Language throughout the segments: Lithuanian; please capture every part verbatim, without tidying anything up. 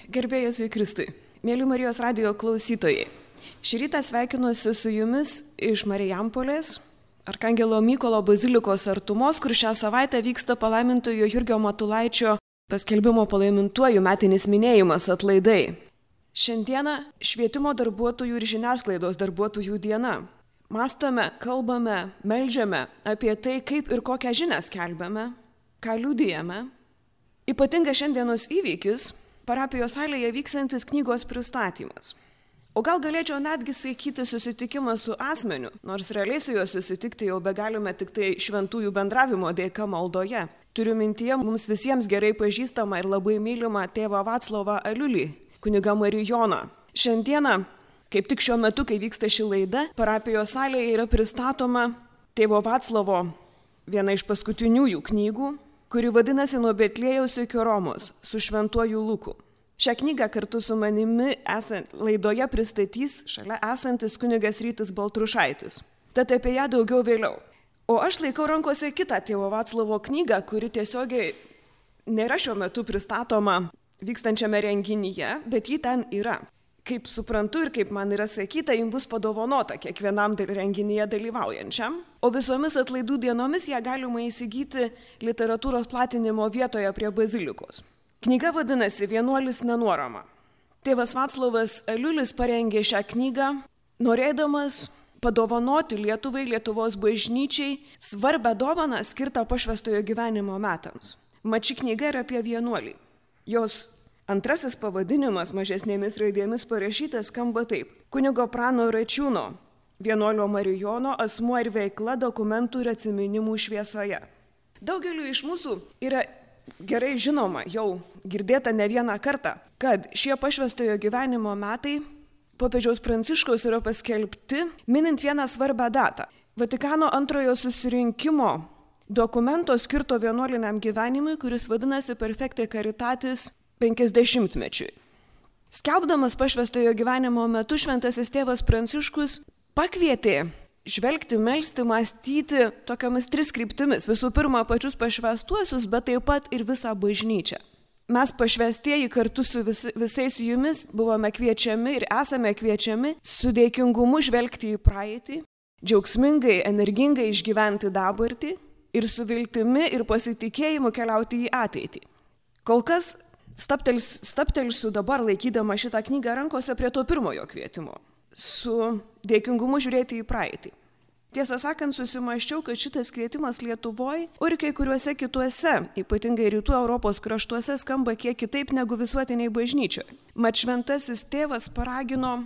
Gerbėjai Jėzui Kristui, mėly Marijos radijo klausytojai, šį rytą sveikinuosi su jumis iš Marijampolės, Arkangelo Mykolo bazilikos artumos, kur šią savaitę vyksta palaimintojo Jurgio Matulaičio paskelbimo palaimintuoju metinis minėjimas atlaidai. Šiandieną švietimo darbuotojų ir žiniasklaidos darbuotojų diena. Mąstome, kalbame, meldžiame apie tai, kaip ir kokią žinią skelbiame, ką liudijame. Ypatingas šiandienos įvykis – parapijos salėje vyksantis knygos pristatymas. O gal galėčiau netgi sakyti susitikimą su asmeniu, nors realiai su juo susitikti jau begalime tik tai šventųjų bendravimo dėka maldoje. Turiu mintyje mums visiems gerai pažįstamą ir labai mylimą tėvą Vaclovą Aliulį, kunigą Marijoną. Šiandieną, kaip tik šiuo metu, kai vyksta ši laida, parapijos salėje yra pristatoma tėvo Vaclovo viena iš paskutiniųjų knygų, kuri vadinasi Nuo Betliejaus iki Romos su šventuoju Luku. Šią knygą kartu su manimi esant, laidoje pristatys šalia esantis kunigas Rytis Baltrušaitis. Tad apie ją daugiau vėliau. O aš laikau rankose kitą tėvo Vaclovo knygą, kuri tiesiogiai nėra šiuo metu pristatoma vykstančiame renginyje, bet ji ten yra. Kaip suprantu ir kaip man yra sakyta, jums bus padovanota kiekvienam renginyje dalyvaujančiam, o visomis atlaidų dienomis ją galima įsigyti literatūros platinimo vietoje prie bazilikos. Knyga vadinasi Vienuolis nenuorama. Tėvas Vaclovas Aliulis parengė šią knygą, norėdamas padovanoti Lietuvai, Lietuvos bažnyčiai svarbę dovaną skirtą pašvęstojo gyvenimo metams. Mat ši knyga yra apie vienuolį. Jos antrasis pavadinimas mažesnėmis raidėmis parašytas skamba taip: Kunigo Prano Račiūno, vienuolio Marijono asmuo ir veikla dokumentų ir atsiminimų šviesoje. Daugeliu iš mūsų yra gerai žinoma, jau girdėta ne vieną kartą, kad šie pašvęstojo gyvenimo metai popiežiaus Pranciškaus yra paskelbti minint vieną svarbią datą. Vatikano antrojo susirinkimo dokumento skirto vienuoliniam gyvenimui, kuris vadinasi Perfecte Caritatis penkiasdešimtmečiui. Skelbdamas pašvęstojo gyvenimo metu šventasis tėvas Pranciškus pakvietė žvelgti, melsti, mąstyti tokiamis tris kryptimis. Visų pirma, pačius pašvęstuosius, bet taip pat ir visą bažnyčią. Mes pašvęstieji kartu su vis, visais jumis buvome kviečiami ir esame kviečiami su dėkingumu žvelgti į praeitį, džiaugsmingai, energingai išgyventi dabartį ir su viltimi ir pasitikėjimu keliauti į ateitį. Kol kas staptels, staptelsiu dabar laikydama šitą knygą rankose prie to pirmojo kvietimo. Su dėkingumu žiūrėti į praeitį. Tiesą sakant, susimąsčiau, kad šitas kvietimas Lietuvoje, o ir kai kuriuose kituose, ypatingai rytų Europos kraštuose, skamba kiek kitaip negu visuotiniai bažnyčioje. Mat šventasis tėvas paragino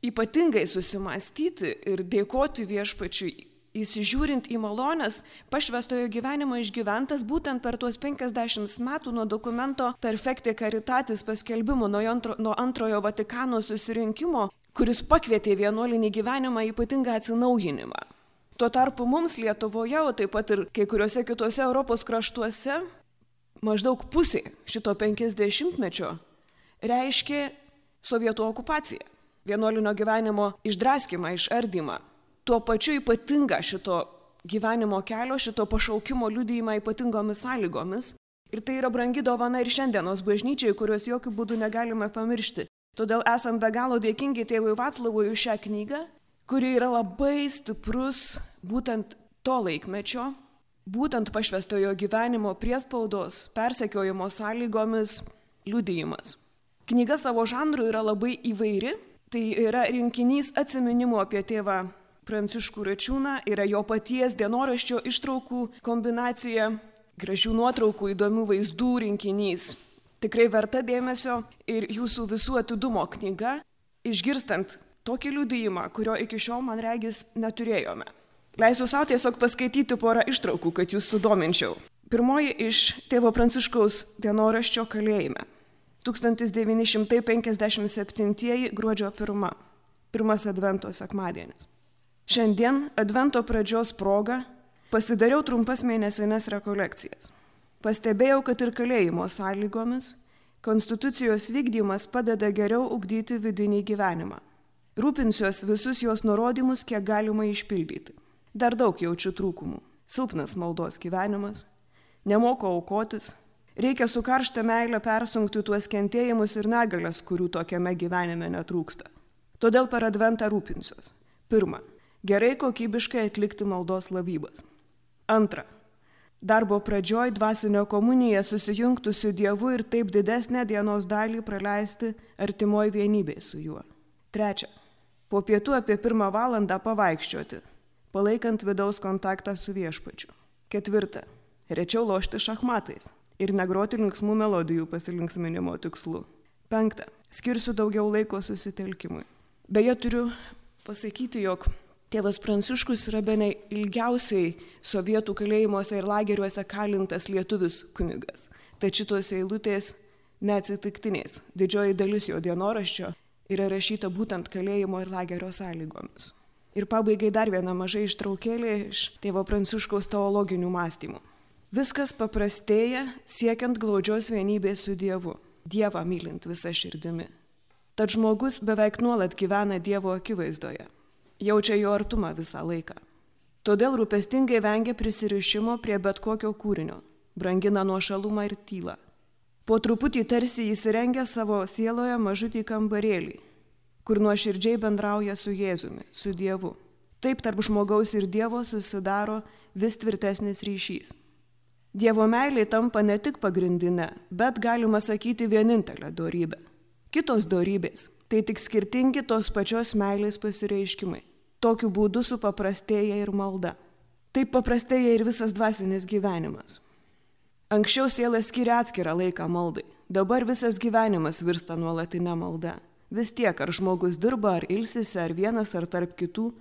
ypatingai susimąstyti ir dėkoti Viešpačiui, įsižiūrint į malones, pašvęstojo gyvenimo išgyventas būtent per tuos penkiasdešimt metų nuo dokumento Perfecte Caritatis paskelbimo nuo, antro, nuo antrojo Vatikano susirinkimo, kuris pakvietė vienuolinį gyvenimą ypatingą atsinaujinimą. Tuo tarpu mums Lietuvoje, o taip pat ir kai kuriuose kituose Europos kraštuose, maždaug pusė šito penkiasdešimtmečio reiškė sovietų okupaciją, vienuolinio gyvenimo išdraskymą, išardymą. Tuo pačiu ypatingą šito gyvenimo kelio, šito pašaukimo liudijimą ypatingomis sąlygomis. Ir tai yra brangi dovana ir šiandienos bažnyčiai, kurios jokių būdų negalime pamiršti. Todėl esam be galo dėkingi tėvui Vaclovui už šią knygą, kuri yra labai stiprus būtent to laikmečio, būtent pašvęstojo gyvenimo priespaudos, persekiojimo sąlygomis liudijimas. Knyga savo žanru yra labai įvairi, tai yra rinkinys atsiminimų apie tėvą Pranciškų Račiūną, yra jo paties dienoraščio ištraukų kombinacija, gražių nuotraukų, įdomių vaizdų rinkinys. Tikrai verta dėmesio ir jūsų visų atidumo knyga, išgirstant tokį liudijimą, kurio iki šiol, man regis, neturėjome. Leisiu savo tiesiog paskaityti porą ištraukų, kad jūs sudominčiau. Pirmoji iš tėvo Pranciškaus dienoraščio Kalėjime. tūkstantis devyni šimtai penkiasdešimt septintieji gruodžio pirma. Pirmas advento sekmadienis. Šiandien advento pradžios proga pasidariau trumpas mėnesinės rekolekcijas. Pastebėjau, kad ir kalėjimo sąlygomis konstitucijos vykdymas padeda geriau ugdyti vidinį gyvenimą. Rūpinsiuos visus jos nurodymus, kiek galima išpildyti. Dar daug jaučiu trūkumų. Silpnas maldos gyvenimas, nemoku aukotis, Reikia su karšta meile persunkti tuos kentėjimus ir negalias, kurių tokiame gyvenime netrūksta. Todėl per adventą rūpinsiuos. Pirma, gerai kokybiškai atlikti maldos lavybas. Antra, darbo pradžioj dvasinio komuniją susijungti su Dievu ir taip didesnę dienos dalį praleisti artimoj vienybėj su juo. Trečia, po pietų apie pirmą valandą pavaikščioti, palaikant vidaus kontaktą su viešpačiu. Ketvirta, rečiau lošti šachmatais ir negroti linksmų melodijų pasilinksminimo tikslu. Penkta, skirsiu daugiau laiko susitelkimui. Beje, turiu pasakyti, jog tėvas Pranciškus yra bene ilgiausiai sovietų kalėjimuose ir lageriuose kalintas lietuvis kunigas. Tad šitos eilutės neatsitiktinės. Didžioji dalis jo dienoraščio yra rašyta būtent kalėjimo ir lagerio sąlygomis. Ir pabaigai dar viena maža ištraukėlė iš tėvo Pranciškaus teologinių mąstymų. Viskas paprastėja siekiant glaudžios vienybės su Dievu, Dievą mylint visą širdimi. Tad žmogus beveik nuolat gyvena Dievo akivaizdoje, jaučia jo artumą visą laiką. Todėl rūpestingai vengia prisirišimo prie bet kokio kūrinio, brangina nuošalumą ir tylą. Po truputį tarsi įsirengia savo sieloje mažutį kambarėlį, kur nuoširdžiai bendrauja su Jėzumi, su Dievu. Taip tarp žmogaus ir Dievo susidaro vis tvirtesnis ryšys. Dievo meilė tampa ne tik pagrindinė, bet galima sakyti vienintelė dorybė. Kitos dorybės tai tik skirtingi tos pačios meilės pasireiškimai. Tokiu būdu supaprastėja ir malda. Taip paprastėja ir visas dvasinis gyvenimas. Anksčiau siela skiria atskirą laiką maldai, dabar visas gyvenimas virsta nuolatinė malda. Vis tiek, ar žmogus dirba, ar ilsisi, ar vienas, ar tarp kitų,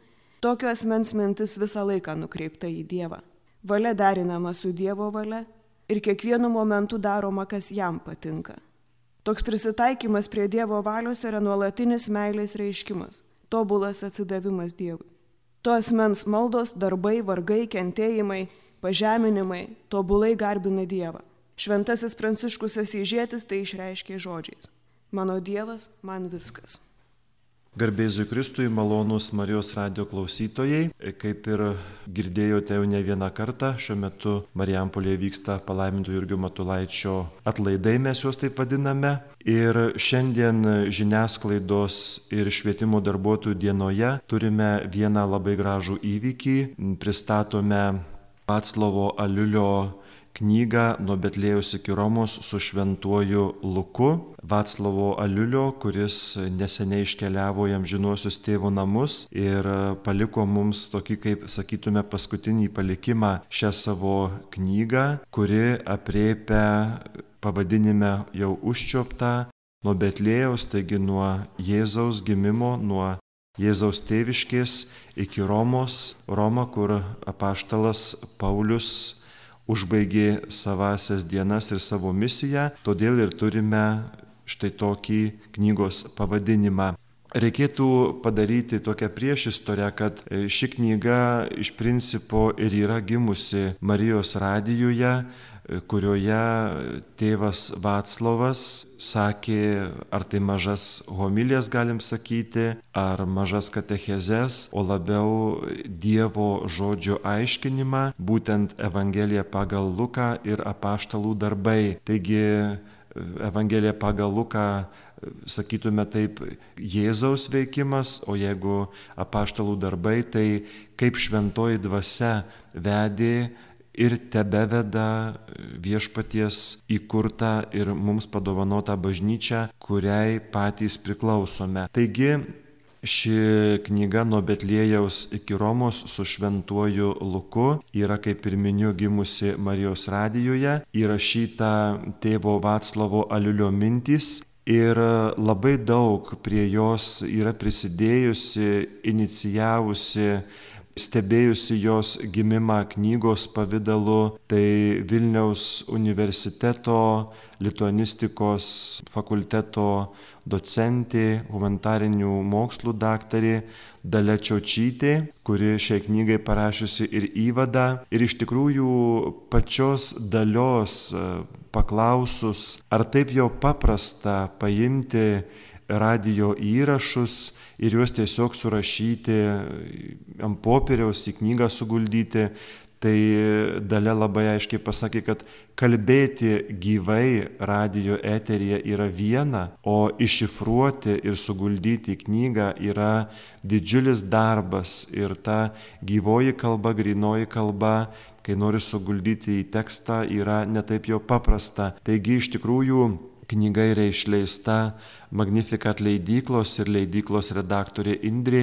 tokio asmens mintis visą laiką nukreipta į Dievą. Valia derinama su Dievo valia ir kiekvienu momentu daroma, kas jam patinka. Toks prisitaikymas prie Dievo valios yra nuolatinis meilės reiškimas, tobulas atsidavimas Dievui. To asmens maldos, darbai, vargai, kentėjimai, pažeminimai tobulai garbina Dievą. Šventasis Pranciškus Asyžietis tai išreiškė žodžiais: mano Dievas, man viskas. Garbėzui Kristui, malonūs Marijos radijo klausytojai, kaip ir girdėjote jau ne vieną kartą, šiuo metu Marijampolėje vyksta palaiminto Jurgio Matulaičio atlaidai, mes juos taip vadiname. Ir šiandien žiniasklaidos ir švietimo darbuotojų dienoje turime vieną labai gražų įvykį. Pristatome Vaclovo Aliulio knygą Nuo Betlėjaus iki Romos su šventuoju Luku. Vaclovo Aliulio, kuris neseniai iškeliavo į amžinuosius tėvo namus ir paliko mums tokį, kaip sakytume, paskutinį palikimą šią savo knygą, kuri aprėpia pavadinime jau užčiuoptą nuo Betlėjaus, taigi nuo Jėzaus gimimo, nuo Jėzaus tėviškės iki Romos, Roma, kur apaštalas Paulius užbaigė savasias dienas ir savo misiją, todėl ir turime štai tokį knygos pavadinimą. Reikėtų padaryti tokią priešistorę, kad ši knyga iš principo ir yra gimusi Marijos radijuje, kurioje tėvas Vaclovas sakė, ar tai mažas homilijas galim sakyti, ar mažas katechezes, o labiau Dievo žodžio aiškinimą, būtent Evangelija pagal Luką ir apaštalų darbai. Taigi Evangelija pagal Luką, sakytume taip, Jėzaus veikimas, o jeigu apaštalų darbai, tai kaip šventoji dvasia vedė ir tebeveda viešpaties įkurtą ir mums padovanotą bažnyčią, kuriai patys priklausome. Taigi ši knyga Nuo Betlėjaus iki Romos su šventuoju Luku yra, kaip ir miniu, gimusi Marijos radijuje, įrašyta tėvo Vaclovo Aliulio mintys. Ir labai daug prie jos yra prisidėjusi, inicijavusi, stebėjusi jos gimimą knygos pavidalu, tai Vilniaus universiteto lituanistikos fakulteto docentė, humanitarinių mokslų daktarė Dalia Čiočytė, kuri šiai knygai parašiusi ir įvadą. Ir iš tikrųjų pačios Dalios paklausus, ar taip jau paprasta paimti radijo įrašus ir juos tiesiog surašyti ant popieriaus, į knygą suguldyti, tai Dalia labai aiškiai pasakė, kad kalbėti gyvai radijo eteryje yra viena, o iššifruoti ir suguldyti į knygą yra didžiulis darbas ir ta gyvoji kalba, grynoji kalba, kai nori suguldyti į tekstą, yra netaip jau paprasta. Taigi iš tikrųjų knyga yra išleista Magnificat leidyklos ir leidyklos redaktorė Indrė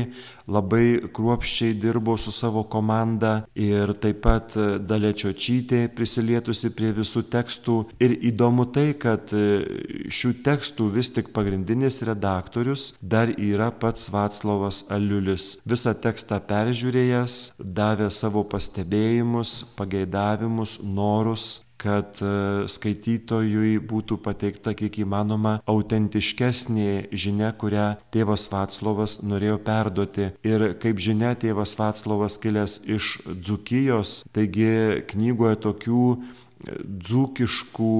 labai kruopščiai dirbo su savo komanda ir taip pat Dalia Čiočytė prisilietusi prie visų tekstų. Ir įdomu tai, kad šių tekstų vis tik pagrindinis redaktorius dar yra pats Vaclovas Aliulis. Visą tekstą peržiūrėjęs, davė savo pastebėjimus, pageidavimus, norus, kad skaitytojui būtų pateikta kiek įmanoma autentiškesnė žinia, kurią tėvas Vaclovas norėjo perduoti. Ir kaip žinia, tėvas Vaclovas kilęs iš Dzūkijos, taigi knygoje tokių dzūkiškų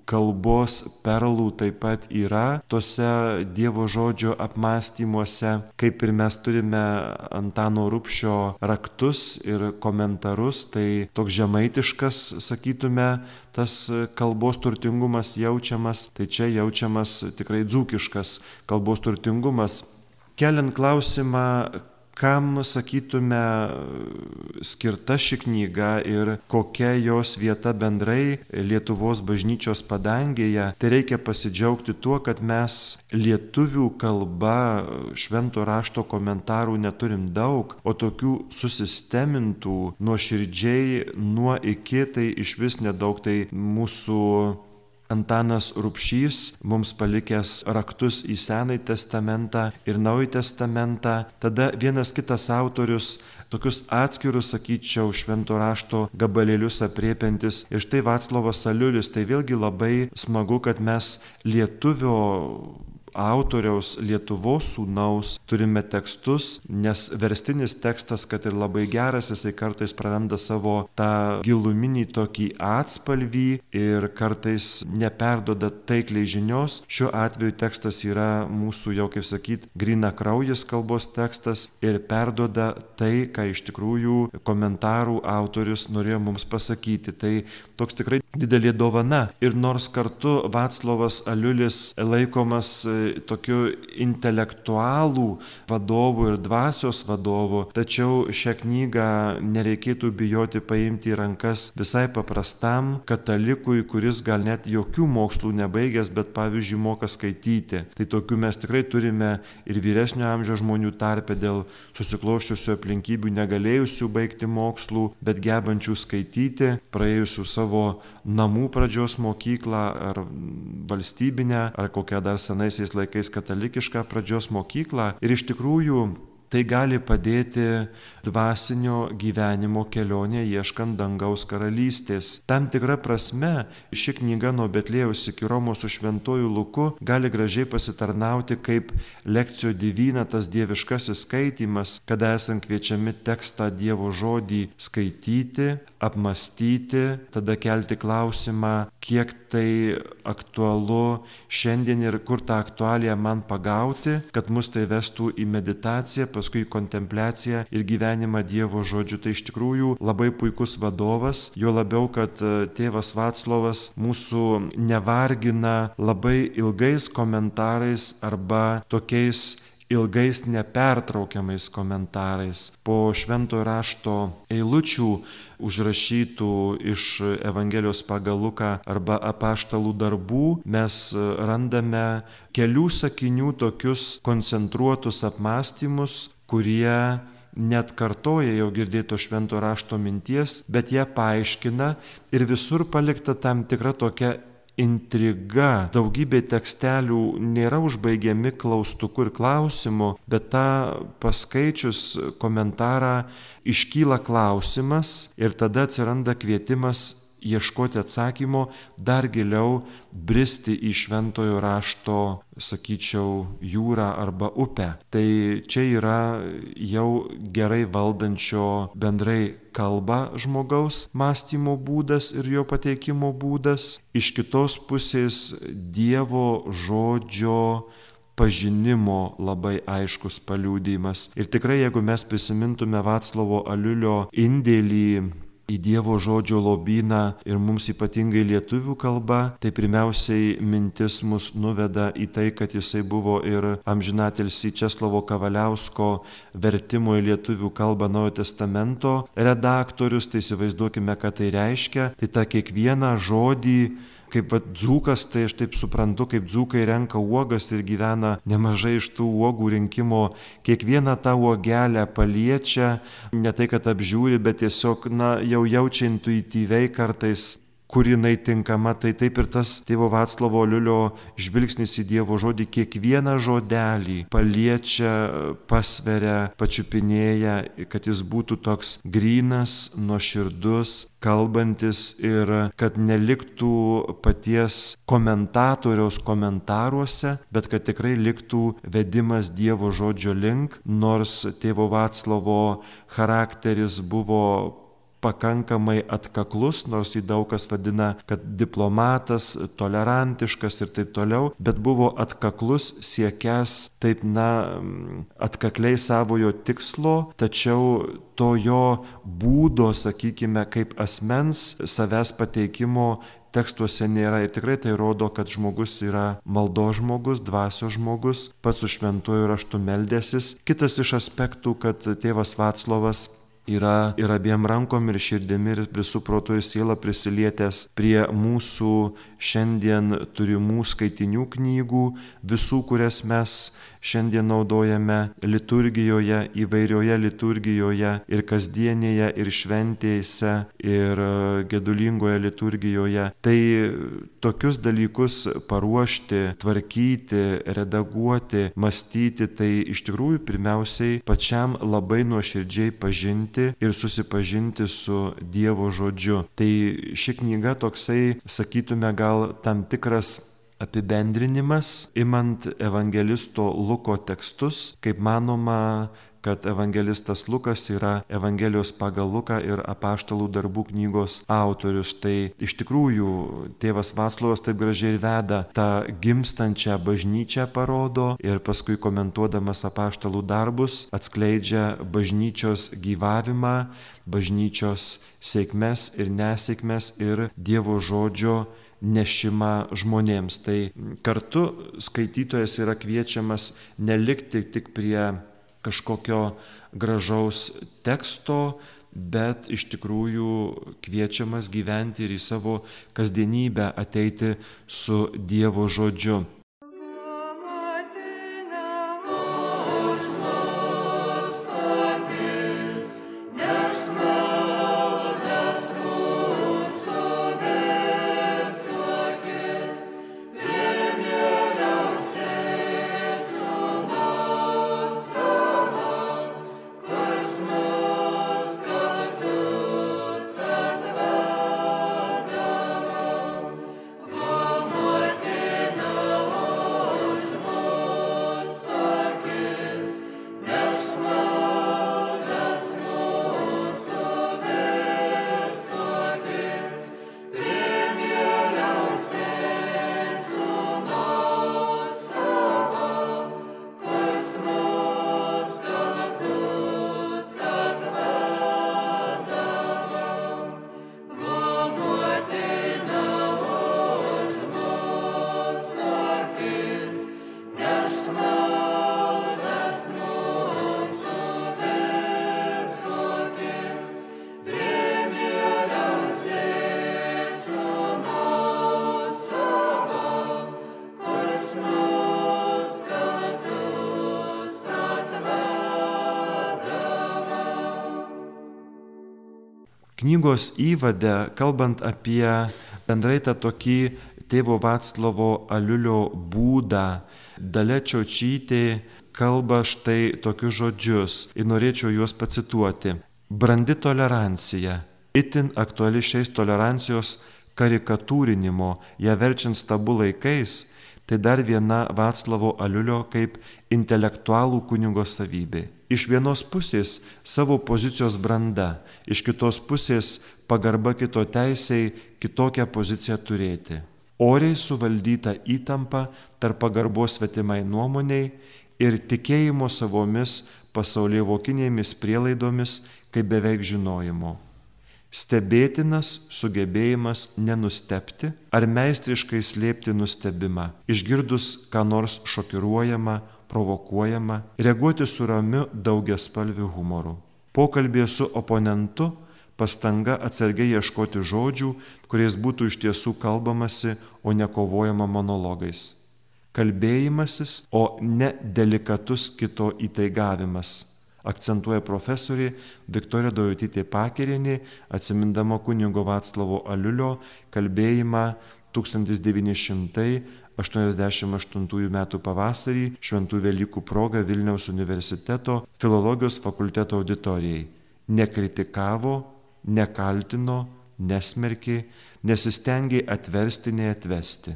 kalbos perlų taip pat yra tose Dievo žodžio apmąstymuose, kaip ir mes turime Antano Rubšio raktus ir komentarus, tai toks žemaitiškas, sakytume, tas kalbos turtingumas jaučiamas, tai čia jaučiamas tikrai dzūkiškas kalbos turtingumas. Keliant klausimą, kam, sakytume, skirta ši knyga ir kokia jos vieta bendrai Lietuvos bažnyčios padangėje, tai reikia pasidžiaugti tuo, kad mes lietuvių kalba švento rašto komentarų neturim daug, o tokių susistemintų nuoširdžiai nuo iki tai išvis nedaug. Tai mūsų Antanas Rubšys mums palikęs raktus į Senąjį testamentą ir Naująjį testamentą. Tada vienas kitas autorius tokius atskirus, sakyčiau, švento rašto gabalėlius apriepiantis. Ir štai Vaclovas Aliulis, tai vėlgi labai smagu, kad mes lietuvio autoriaus, Lietuvos sūnaus turime tekstus, nes verstinis tekstas, kad ir labai geras, jisai kartais praranda savo tą giluminį tokį atspalvį ir kartais neperduoda taikliai žinios. Šiuo atveju tekstas yra mūsų, jau kaip sakyt, grynakraujis kalbos tekstas ir perduoda tai, ką iš tikrųjų komentarų autorius norėjo mums pasakyti. Tai toks tikrai didelė dovana. Ir nors kartu Vaclovas Aliulis laikomas tokiu intelektualų vadovu ir dvasios vadovu, tačiau šią knygą nereikėtų bijoti paimti į rankas visai paprastam katalikui, kuris gal net jokių mokslų nebaigęs, bet pavyzdžiui moka skaityti. Tai tokių mes tikrai turime ir vyresnio amžiaus žmonių tarpe dėl susikloščiusių aplinkybių negalėjusių baigti mokslų, bet gebančių skaityti, praėjusių savo namų pradžios mokyklą ar valstybinę, ar kokią dar senaisiais laikais katalikišką pradžios mokyklą. Ir iš tikrųjų tai gali padėti dvasinio gyvenimo kelionė ieškant dangaus karalystės. Tam tikra prasme ši knyga nuo Betliejaus iki Romos su šventuoju Luku gali gražiai pasitarnauti kaip lekcijo divina, tas dieviškasis skaitymas, kada esam kviečiami tekstą Dievo žodį skaityti, apmastyti, tada kelti klausimą, kiek tai aktualu šiandien ir kur tą aktualiją man pagauti, kad mus tai vestų į meditaciją, paskui kontempliaciją ir gyvenimą Dievo žodžiu. Tai iš tikrųjų labai puikus vadovas, jo labiau, kad tėvas Vaclovas mūsų nevargina labai ilgais komentarais arba tokiais ilgais nepertraukiamais komentarais. Po šventojo rašto eilučių užrašytų iš Evangelijos pagal Luką arba apaštalų darbų mes randame kelių sakinių tokius koncentruotus apmąstymus, kurie net kartoja jau girdėto švento rašto minties, bet ją paaiškina ir visur palikta tam tikra tokia intriga. Daugybė tekstelių nėra užbaigiami klaustuku ir klausimu, bet tą paskaičius komentarą iškyla klausimas ir tada atsiranda kvietimas ieškoti atsakymo, dar giliau bristi į šventojo rašto, sakyčiau, jūrą arba upę. Tai čia yra jau gerai valdančio bendrai kalbą žmogaus mąstymo būdas ir jo pateikimo būdas. Iš kitos pusės Dievo žodžio pažinimo labai aiškus paliudijimas. Ir tikrai, jeigu mes prisimintume Vaclovo Aliulio indėlį į Dievo žodžio lobyną ir mums ypatingai lietuvių kalba, tai pirmiausiai mintis mus nuveda į tai, kad jisai buvo ir amžinatilsį Česlovo Kavaliausko vertimo į lietuvių kalbą Naujojo testamento redaktorius, tai įsivaizduokime, ką tai reiškia. Tai tą kiekvieną žodį, kaip va, dzūkas, tai aš taip suprantu, kaip dzūkai renka uogas ir gyvena nemažai iš tų uogų rinkimo, kiekvieną tą uogelę paliečia, ne tai kad apžiūri, bet tiesiog, na, jau jaučia intuityviai kartais, kur jinai tinkama. Tai taip ir tas tėvo Vaclovo Aliulio žvilgsnis į Dievo žodį kiekvieną žodelį paliečia, pasveria, pačiupinėja, kad jis būtų toks grynas, nuoširdus, kalbantis ir kad neliktų paties komentatoriaus komentaruose, bet kad tikrai liktų vedimas Dievo žodžio link, nors tėvo Vaclovo charakteris buvo pakankamai atkaklus, nors jį daug kas vadina, kad diplomatas, tolerantiškas ir taip toliau, bet buvo atkaklus, siekęs taip, na, atkakliai savojo tikslo, tačiau to jo būdo, sakykime, kaip asmens savęs pateikimo tekstuose nėra. Ir tikrai tai rodo, kad žmogus yra maldos žmogus, dvasios žmogus, pats su šventuoju raštu meldęsis. Kitas iš aspektų, kad tėvas Vaclovas yra ir abiem rankom ir širdimi ir visų protų ir siela prisilietęs prie mūsų šiandien turimų skaitinių knygų, visų, kurias mes šiandien naudojame liturgijoje, įvairioje liturgijoje ir kasdienėje, ir šventėse, ir gedulingoje liturgijoje. Tai tokius dalykus paruošti, tvarkyti, redaguoti, mąstyti, tai iš tikrųjų pirmiausiai pačiam labai nuoširdžiai pažinti ir susipažinti su Dievo žodžiu. Tai ši knyga toksai, sakytume, gal tam tikras apibendrinimas, imant evangelisto Luko tekstus, kaip manoma, kad evangelistas Lukas yra Evangelijos pagal Luką ir apaštalų darbų knygos autorius. Tai iš tikrųjų tėvas Vaclovas taip gražiai veda tą gimstančią bažnyčią parodo ir paskui komentuodamas apaštalų darbus atskleidžia bažnyčios gyvavimą, bažnyčios sėkmes ir nesėkmes ir Dievo žodžio nešimą žmonėms. Tai kartu skaitytojas yra kviečiamas nelikti tik prie kažkokio gražaus teksto, bet iš tikrųjų kviečiamas gyventi ir į savo kasdienybę ateiti su Dievo žodžiu. Knygos įvade, kalbant apie bendrai tą tokį tėvo Vaclovo Aliulio būdą, Dalia Čiočytė kalba štai tokius žodžius ir norėčiau juos pacituoti. Brandi tolerancija, itin aktuali šiais tolerancijos karikatūrinimo, ją verčiant stabų laikais, tai dar viena Vaclavo Aliulio kaip intelektualų kunigo savybė. Iš vienos pusės savo pozicijos branda, iš kitos pusės pagarba kito teisei kitokią poziciją turėti. Oriai suvaldyta įtampa tarp pagarbos svetimai nuomoniai ir tikėjimo savomis pasaulievokinėmis prielaidomis kaip beveik žinojimo. Stebėtinas sugebėjimas nenustebti ar meistriškai slėpti nustebimą, išgirdus ką nors šokiruojama, provokuojama, reaguoti su ramiu daugiaspalviu humoru. Pokalbėje su oponentu pastanga atsargiai ieškoti žodžių, kuriais būtų iš tiesų kalbamasi, o ne kovojama monologais. Kalbėjimasis, o ne delikatus kito įtaigavimas, akcentuoja profesorė Viktorija Daujotytė Pakerienė, atsimindama kunigo Vaclovo Aliulio kalbėjimą tūkstantis devyni šimtai aštuoniasdešimt aštuntųjų metų pavasarį Šventų Velykų proga Vilniaus universiteto filologijos fakulteto auditorijai. Nekritikavo, nekaltino, nesmerkė, nesistengė atversti, neatvesti.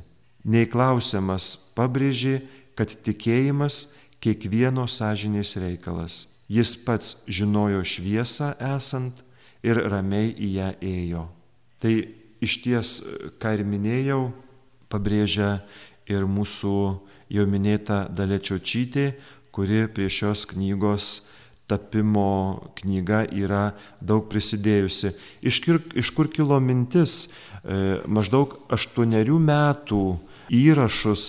Neįklausiamas pabrėžė, kad tikėjimas kiekvieno sąžinės reikalas. Jis pats žinojo šviesą esant ir ramiai į ją ėjo. Tai iš ties, ką ir minėjau, pabrėžia ir mūsų jau minėta Dalia Čiočytė, kuri prie šios knygos tapimo knyga yra daug prisidėjusi. Iš kur, iš kur kilo mintis e, maždaug aštuonerių metų įrašus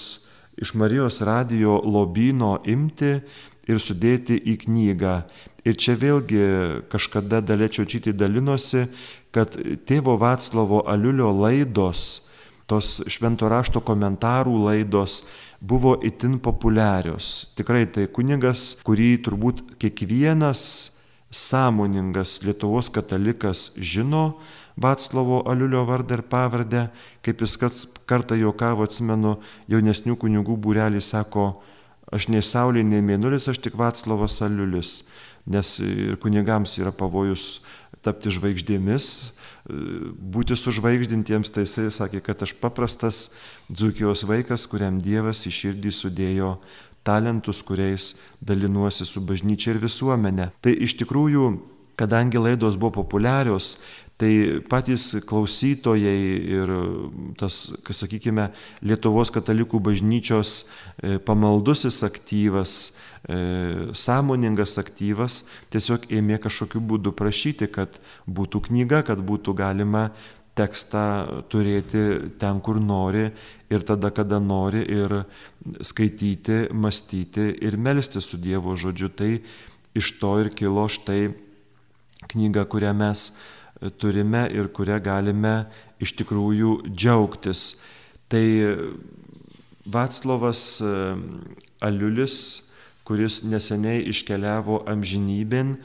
iš Marijos radijo lobyno imti ir sudėti į knygą. Ir čia vėlgi kažkada Dalia Čiočytė dalinosi, kad tėvo Vaclovo Aliulio laidos, tos švento rašto komentarų laidos buvo itin populiarios. Tikrai tai kunigas, kurį turbūt kiekvienas sąmoningas Lietuvos katalikas žino, Vaclovo Aliulio vardą ir pavardę, kaip jis kartą juokavo, atsimenu, jaunesnių kunigų būrelį sako, aš nei saulė, nei mėnulis, aš tik Vaclovas Aliulis, nes ir kunigams yra pavojus tapti žvaigždėmis, būti sužvaigždintiems, tai jisai sakė, kad aš paprastas Dzūkijos vaikas, kuriam Dievas į širdį sudėjo talentus, kuriais dalinuosi su bažnyčia ir visuomenė. Tai iš tikrųjų, kadangi laidos buvo populiarios, tai patys klausytojai ir tas, kas sakykime, Lietuvos katalikų bažnyčios pamaldusis aktyvas, sąmoningas aktyvas, tiesiog ėmė kažkokiu būdu prašyti, kad būtų knyga, kad būtų galima tekstą turėti ten, kur nori ir tada, kada nori, ir skaityti, mąstyti ir melstis su Dievo žodžiu. Tai iš to ir kilo štai knyga, kurią mes turime ir kurią galime iš tikrųjų džiaugtis. Tai Vaclovas Aliulis, kuris neseniai iškeliavo amžinybėn,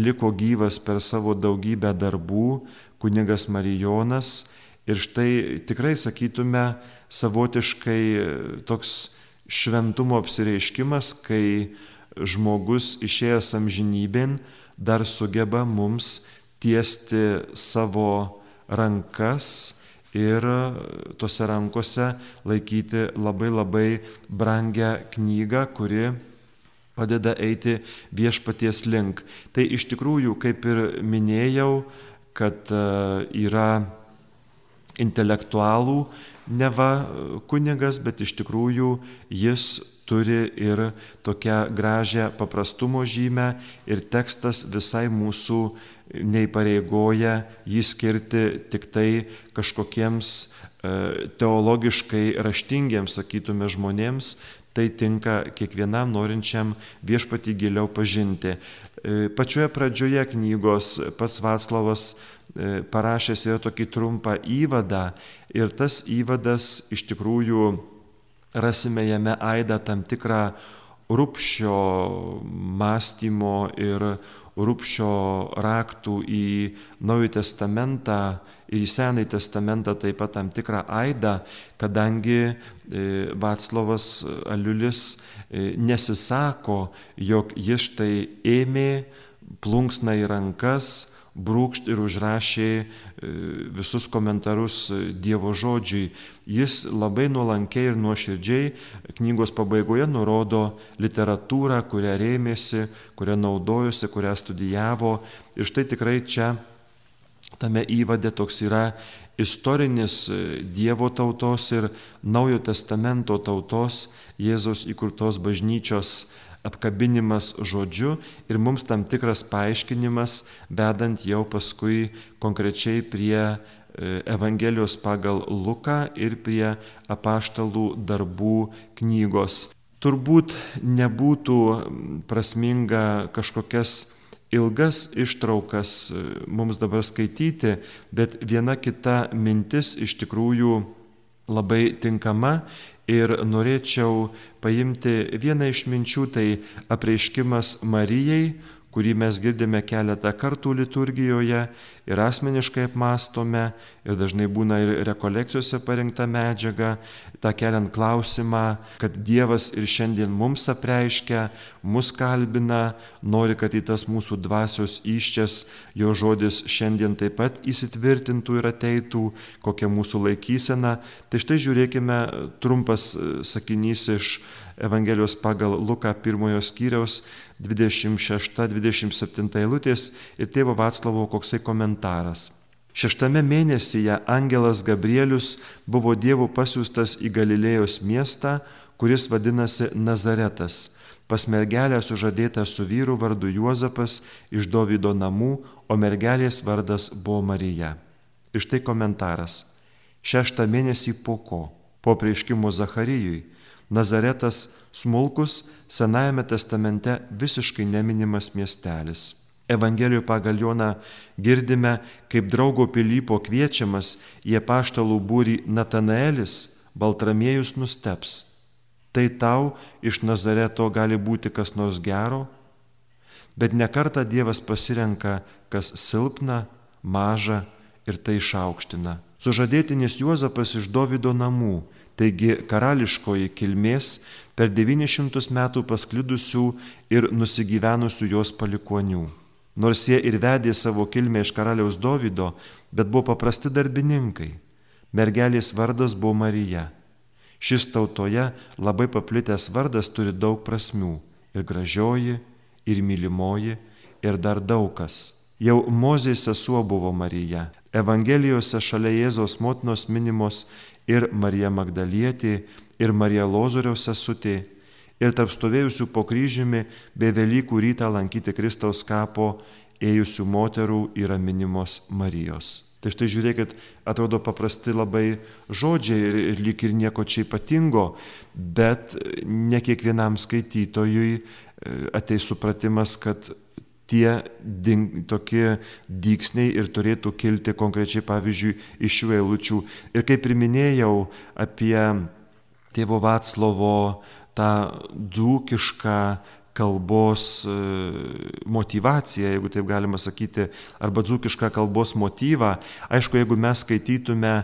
liko gyvas per savo daugybę darbų, kunigas Marijonas, ir štai tikrai sakytume savotiškai toks šventumo apsireiškimas, kai žmogus išėjęs amžinybėn dar sugeba mums tiesti savo rankas ir tose rankose laikyti labai labai brangią knygą, kuri padeda eiti viešpaties link. Tai iš tikrųjų, kaip ir minėjau, kad yra intelektualų neva kunigas, bet iš tikrųjų jis turi ir tokią gražią paprastumo žymę ir tekstas visai mūsų neįpareigoja jį skirti tik tai kažkokiems teologiškai raštingiems, sakytume, žmonėms. Tai tinka kiekvienam norinčiam viešpatį giliau pažinti. Pačioje pradžioje knygos pats Vaclovas parašęs yra tokį trumpą įvadą ir tas įvadas iš tikrųjų rasime jame aidą tam tikrą Rupšio mąstymo ir Rupšio raktų į Naująjį testamentą ir į Senąjį testamentą taip pat tam tikrą aidą, kadangi Vaclovas Aliulis nesisako, jog jis štai ėmė plunksną į rankas, brūkšt ir užrašė visus komentarus Dievo žodžiui. Jis labai nuolankiai ir nuoširdžiai knygos pabaigoje nurodo literatūrą, kurią rėmėsi, kurią naudojosi, kurią studijavo. Ir štai tikrai čia tame įvade toks yra istorinis Dievo tautos ir Naujojo testamento tautos, Jėzaus įkurtos bažnyčios apkabinimas žodžiu ir mums tam tikras paaiškinimas, vedant jau paskui konkrečiai prie Evangelijos pagal Luką ir prie apaštalų darbų knygos. Turbūt nebūtų prasminga kažkokias ilgas ištraukas mums dabar skaityti, bet viena kita mintis iš tikrųjų labai tinkama ir norėčiau paimti vieną iš minčių, tai apreiškimas Marijai, kurį mes girdime keletą kartų liturgijoje ir asmeniškai apmastome, ir dažnai būna ir rekolekcijose parinkta medžiaga, tą keliant klausimą, kad Dievas ir šiandien mums apreiškia, mus kalbina, nori, kad į tas mūsų dvasios įsčias jo žodis šiandien taip pat įsitvirtintų ir ateitų, kokia mūsų laikysena. Tai štai žiūrėkime trumpas sakinys iš Evangelijos pagal Luką pirmojo skyriaus dvidešimt šešta dvidešimt septinta eilutės ir tėvo Vaclavo koksai komentaras. Šeštame mėnesyje angelas Gabrielius buvo Dievo pasiųstas į Galilėjos miestą, kuris vadinasi Nazaretas, pas mergelę sužadėtą su vyru vardu Juozapas iš Dovydo namų, o mergelės vardas buvo Marija. Ir štai komentaras. Šeštą mėnesį po ko? Po apreiškimo Zacharijui. Nazaretas smulkus Senajame testamente visiškai neminimas miestelis. Evangelijoje pagal Joną girdime, kaip draugo Pilypo kviečiamas į apaštalų būrį Natanaelis, Baltramiejus nusteps. Tai tau iš Nazareto gali būti kas nors gero? Bet nekartą Dievas pasirenka, kas silpna, maža ir tai išaukština. Sužadėtinis Juozapas iš Dovydo namų, taigi karališkoji kilmės per devynis šimtus metų pasklidusių ir nusigyvenusių jos palikonių. Nors jie ir vedė savo kilmę iš karaliaus Dovydo, bet buvo paprasti darbininkai. Mergelės vardas buvo Marija. Šis tautoje labai paplitęs vardas turi daug prasmių. Ir gražioji, ir mylimoji, ir dar daug kas. Jau Mozės sesuo buvo Marija. Evangelijose šalia Jėzaus motinos minimos ir Marija Magdalietė, ir Marija Lozoriaus sesutė, ir tarp stovėjusių po kryžiumi bei Velykų rytą lankyti Kristaus kapo ėjusių moterų yra minimos Marijos. Tai štai žiūrėkit, atrodo paprasti labai žodžiai ir, ir lyg ir nieko čia ypatingo, bet ne kiekvienam skaitytojui ateis supratimas, kad tie ding, tokie dygsniai ir turėtų kilti konkrečiai, pavyzdžiui, iš šių eilučių. Ir kaip priminėjau apie tėvo Vaclovo tą dzūkišką kalbos motyvaciją, jeigu taip galima sakyti, arba dzūkišką kalbos motyvą. Aišku, jeigu mes skaitytume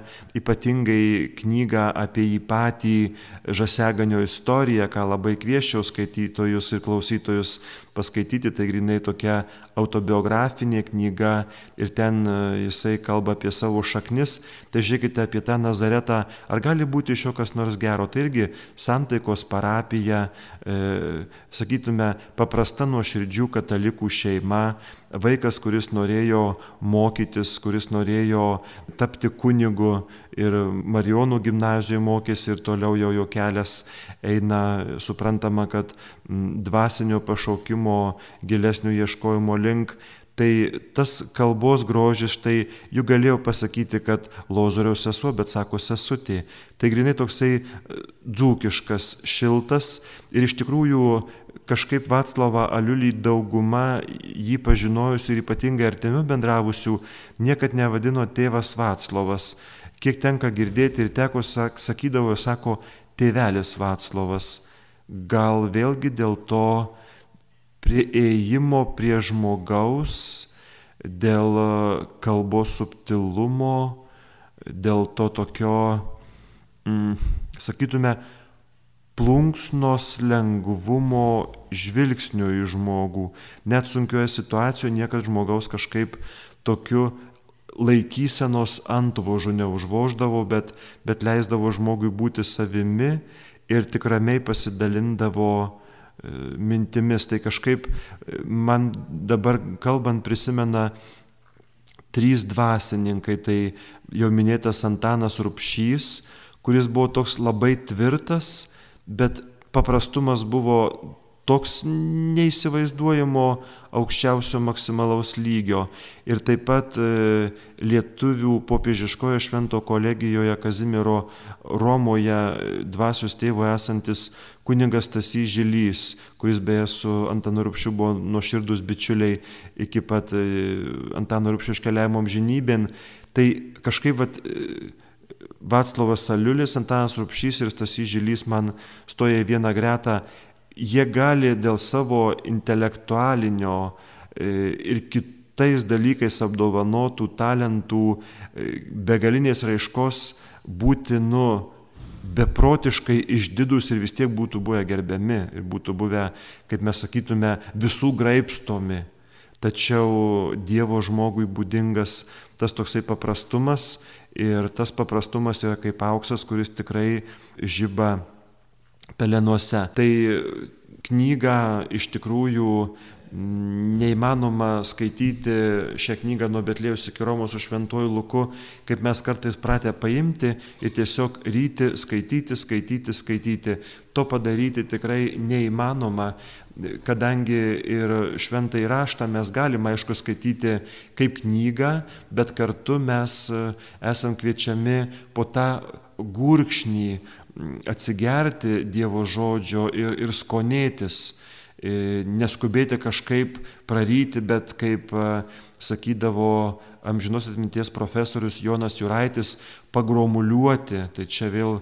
ypatingai knygą apie jį patį Žaseganio istoriją, ką labai kviesčiau skaitytojus ir klausytojus paskaityti, tai grinai tokia autobiografinė knyga ir ten jisai kalba apie savo šaknis, tai žiūrėkite apie tą Nazaretą, ar gali būti iš jo kas nors gero. Tai irgi santaikos parapija, e, sakytume, paprasta nuoširdžių katalikų šeima, vaikas, kuris norėjo mokytis, kuris norėjo tapti kunigu ir Marijonų gimnazijoje mokėsi ir toliau jau jo kelias eina, suprantama, kad dvasinio pašaukimo gilesnio ieškojimo link. Tai tas kalbos grožis, štai jų galėjau pasakyti, kad Lozoriaus sesuo, bet sako sesutė. Tai grinai toksai dzūkiškas, šiltas ir iš tikrųjų kažkaip Vaclavą Aliulį dauguma jį pažinojusių ir ypatingai artimiau bendravusių niekad nevadino tėvas Vaclovas. Kiek tenka girdėti ir teko sakydavo, sako tėvelis Vaclovas. Gal vėlgi dėl to prieėjimo prie žmogaus, dėl kalbos subtilumo, dėl to tokio, mm, sakytume, plunksnos lengvumo žvilgsnio į žmogų. Net sunkioje situacijoje niekas žmogaus kažkaip tokiu laikysenos antvožu neužvoždavo, bet, bet leisdavo žmogui būti savimi ir tik ramiai pasidalindavo mintimis. Tai kažkaip man dabar kalbant prisimena trys dvasininkai, tai jau minėtas Antanas Rubšys, kuris buvo toks labai tvirtas, bet paprastumas buvo toks neįsivaizduojamo aukščiausio maksimalaus lygio. Ir taip pat e, lietuvių popiežiškojo švento kolegijoje Kazimiero Romoje dvasios tėvo esantis kunigas Stasys Žilys, kuris beje su Antanu Rubšiu buvo nuoširdūs bičiuliai iki pat e, Antano Rubšio iškeliavimo amžinybėn. Tai kažkaip vat, e, Vaclovas Aliulis, Antanas Rubšys ir Stasys Žilys man stoja į vieną gretą. Jie gali dėl savo intelektualinio ir kitais dalykais apdovanotų talentų begalinės raiškos būti nu beprotiškai išdidus ir vis tiek būtų buvę gerbiami ir būtų buvę, kaip mes sakytume, visų graibstomi. Tačiau Dievo žmogui būdingas tas toksai paprastumas ir tas paprastumas yra kaip auksas, kuris tikrai žiba pelenuose. Tai knygą iš tikrųjų neįmanoma skaityti šią knygą nuo Betliejaus iki Romos su šventuoju Luku, kaip mes kartais pratę paimti ir tiesiog ryti, skaityti, skaityti, skaityti. To padaryti tikrai neįmanoma, kadangi ir šventąjį raštą mes galime, aišku, skaityti kaip knygą, bet kartu mes esam kviečiami po tą gurkšnį atsigerti Dievo žodžio ir, ir skonėtis, neskubėti kažkaip praryti, bet kaip sakydavo amžinos atminties profesorius Jonas Juraitis, pagromuliuoti. Tai čia vėl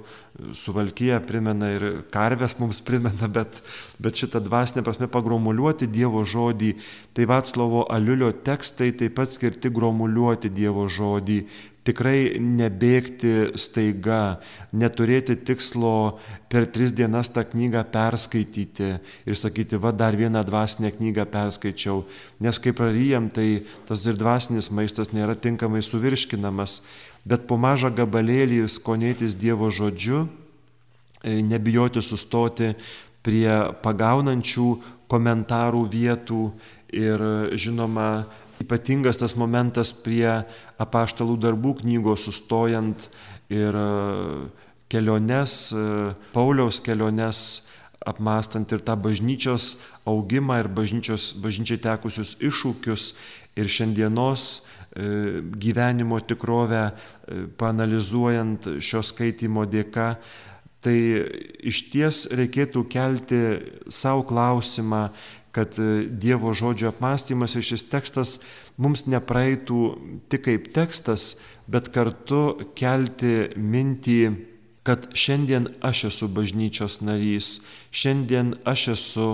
Suvalkija primena ir karves mums primena, bet, bet šitą dvasinę prasme pagromuliuoti Dievo žodį. Tai Vaclovo Aliulio tekstai taip pat skirti gromuliuoti Dievo žodį. Tikrai nebėgti staiga, neturėti tikslo per tris dienas tą knygą perskaityti ir sakyti, va dar vieną dvasinę knygą perskaičiau. Nes kai praryjam, tai tas ir dvasinis maistas nėra tinkamai suvirškinamas. Bet po mažą gabalėlį ir skonėtis Dievo žodžiu, nebijoti sustoti prie pagaunančių komentarų vietų ir žinoma, ypatingas tas momentas prie apaštalų darbų knygos sustojant ir keliones, Pauliaus keliones apmąstant ir tą bažnyčios augimą ir bažnyčios, bažnyčiai tekusius iššūkius ir šiandienos gyvenimo tikrovę paanalizuojant šio skaitimo dėka. Tai iš ties reikėtų kelti savo klausimą, kad Dievo žodžio apmąstymas ir šis tekstas mums nepraeitų tik kaip tekstas, bet kartu kelti mintį, kad šiandien aš esu bažnyčios narys, šiandien aš esu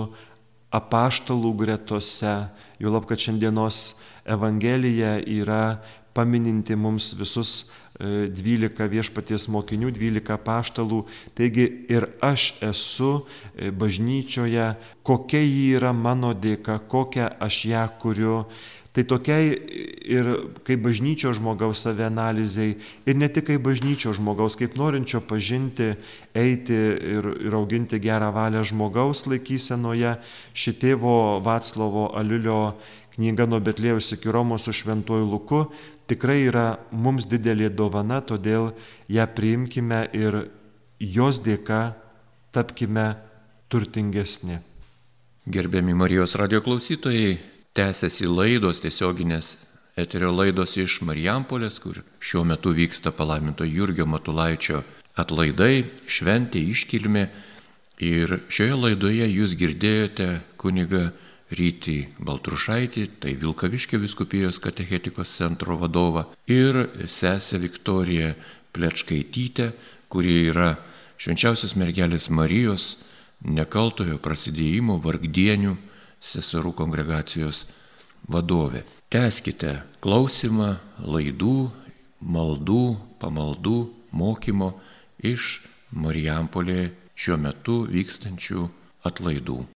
apaštalų gretose, juolab, kad šiandienos Evangelija yra pamininti mums visus dvylika viešpaties mokinių, dvylika apaštalų. Taigi ir aš esu bažnyčioje, kokia ji yra mano dėka, kokią aš ją kuriu. Tai tokiai ir kaip bažnyčios žmogaus savianalizai ir ne tik kaip bažnyčios žmogaus, kaip norinčio pažinti, eiti ir, ir auginti gerą valią žmogaus laikysenoje, ši tėvo Vaclovo Aliulio knyga nuo Betliejaus iki Romos su šventuoju Luku tikrai yra mums didelė dovana, todėl ją priimkime ir jos dėka tapkime turtingesni. Gerbiami Marijos radijo klausytojai, tęsiasi laidos, tiesioginės eterio laidos iš Marijampolės, kur šiuo metu vyksta palaiminto Jurgio Matulaičio atlaidai, šventė, iškilmė. Ir šioje laidoje jūs girdėjote kunigą Rytį Baltrušaitį, tai Vilkaviškio vyskupijos katechetikos centro vadovą, ir sesę Viktoriją Plečkaitytę, kuri yra Švenčiausios mergelės Marijos nekaltojo prasidėjimo vargdienių seserų kongregacijos vadovė. Tęskite klausimą laidų, maldų, pamaldų, mokymo iš Marijampolėje šiuo metu vykstančių atlaidų.